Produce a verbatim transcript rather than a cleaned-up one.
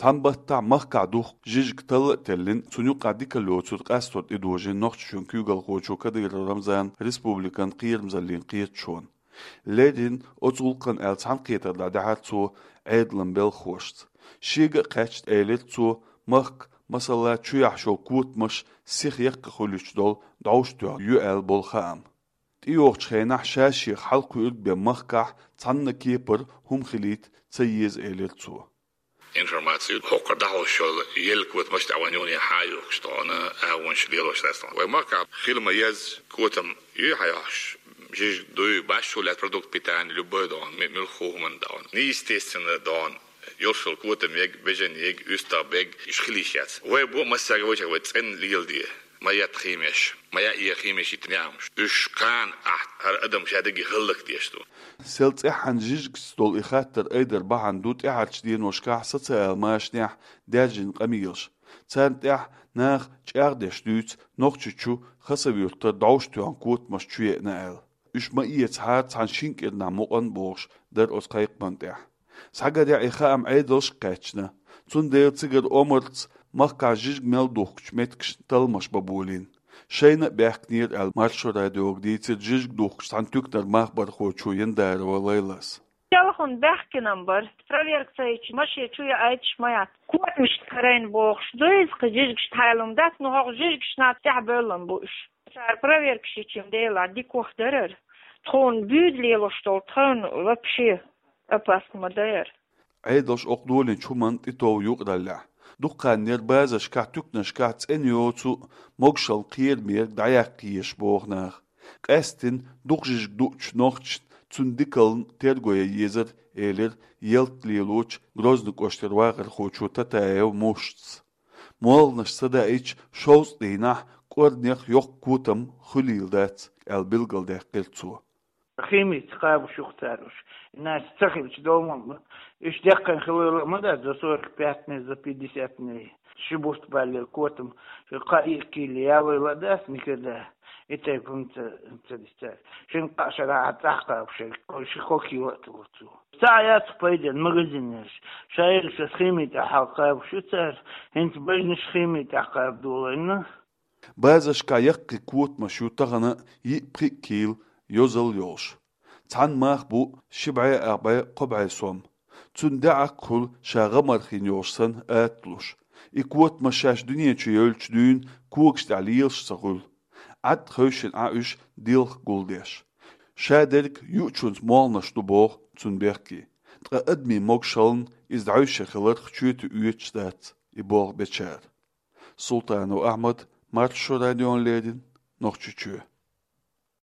Цхьан баттахь махкахь духкучу жижиг талла а теллина, цунна юкъахь дика лоцург къастор тӀедожийна Нохчийчоьнан куьйгалхочо Кадыров Рамзана республикан кхерамзаллин кхеташонна. Леррина оцу гӀуллакхна аьлла цхьаьнакхетар дӀадаьхьира цо Ӏедалан белхалошца. Шега а кхаьчна элира цо, махка, масала, чу яхьаш йолу котамаш сиха яккха хуьлуьйтуш долу дӀовш тоьхна ю аьлла болу хаам. ТӀейогӀучу хенахь ша-шех хьалакхуьург бен махкахь цхьанна а кепара хӀума хилийта ца еза, элира цо. Информаци хӀокхара дӀахьош йолу елла котамаш тӀехь вайн юххе хьан а юхкуш тхуна, агӀонаш лелош дац тхуна. Вайн махкахь хила ма езза котам юй хьан йохьуш, жижиг дуй, башхо лаьцна продукт питания, любой догӀун, ме-, муьлхха хӀуманна догӀун. Неестественно догӀун. Йолуш йолу котам ег, бежан ег, уьстагӀ бег, уьш хила йиш яц. Вай бу массаьрга вайчех вай цӀена леладе. Ма етта химеш, ма яа химеш йиттина яамаш. Уьш кхана ахь хӀара адам ша дерриге хӀаллакдеш ду. Сел цӀеххьана жижигашца долу и хаттар айдар бахьана ду тӀаьхьарчу деношкахь социал-машанехь даьржина къамелаш. Царна тӀехь наха чӀагӀдеш дуьйцу Нохчийчу Хасав-Юьртара дӀовш тоьхна котамаш чу еана аьлла. Уьш ма эцахьара цхьана шина кӀирнахь мукъана бохуш дара оцу кхайкхаман тӀехь. Схьагарехь и хаам Ӏедалшка кхаьчна. Цундела цигара омарца махкахь жижиг мел духкучу меттигашна талламаш бан болийна. Шайна а баьхкинера аьлла, Маршо радиога дийцира жижиг духкучу цхьана туьканара махбархочо Яндарова Лайлас. Телефон баьхкина-м бара. Проверка ца йича, машен чу яайта ма яц. Котамашна карийна бохуш ду иза, кхин жижигашна хьайла-м дац, но хӀокху жижигашна тӀехь бевлла-м бу уьш. Цара проверкаш йича-м делахь дика ваха дарара. Тхуна буьйда лелош долу тхевна вообще опасно ма дара. Ӏедалша окху долийначу хӀуманна тӀетов юкъараллехь. Дукха хан яра базаршкахь, туьканашкахь цӀена йоцу а, могушалла кхерамерг дӀаяккха езаш боху наха. Къаьсттина дукха жижиг дуучу нохчашна цуьнан дикална терго ян езара, элира ялта лелочу Грозный кӀоштара вахархочо Татаев Мушас. МолханашкӀара ца даийча, шовзткъа дийнахь кӀорнех йоккха котам хуьлийла дац, аьлла билгалдаьккхира цо. Химица кхаба шу-кх цара уьш. Иначе ца хилча, долу ма, уьш деккхина хилийла ма дац, за сорок пять дней, за пятьдесят дней. Ши бутт баллера котам, ши кхаа-кхаа кийла ялийла дац никогда. И тайпа-м ца, ца дисцара. Шина-кхаа шарахь цӀахь кхаба шерг, ши-кхо кийла а тулур цо. Цхьа а яц-кх пайденна магазинаш. Ша ерг шаьш хими тӀехь хьалакхаба шу цара, хӀинца бежнаш хими тӀехь кхаба долийна. Базаршкахь яккхий котамаш ю тахана йиъ-пхиъ кийла йозалла йолуш. Цхьана мах бу ши бӀе, ах бӀе, кхо бӀе сом. Цуьнан даьӀахк хуьлу ша гӀамар хин йолуш санна аталуш. И котамаш шаьш дуьнен чу евллачу дуьйна когаш тӀехь лелаш ца хуьлу. Ӏад хевшина Ӏа уьш дилха гулдеш. Шадерг юучунца молханаш ду боху цуьнан бехке. Ткъа адамийн могушаллина иза дӀаьвше хиларх чоьте оьцуш дац и болх бечара. Султанов Ахьмад, Маршо радиона леррина, Нохчийчоь.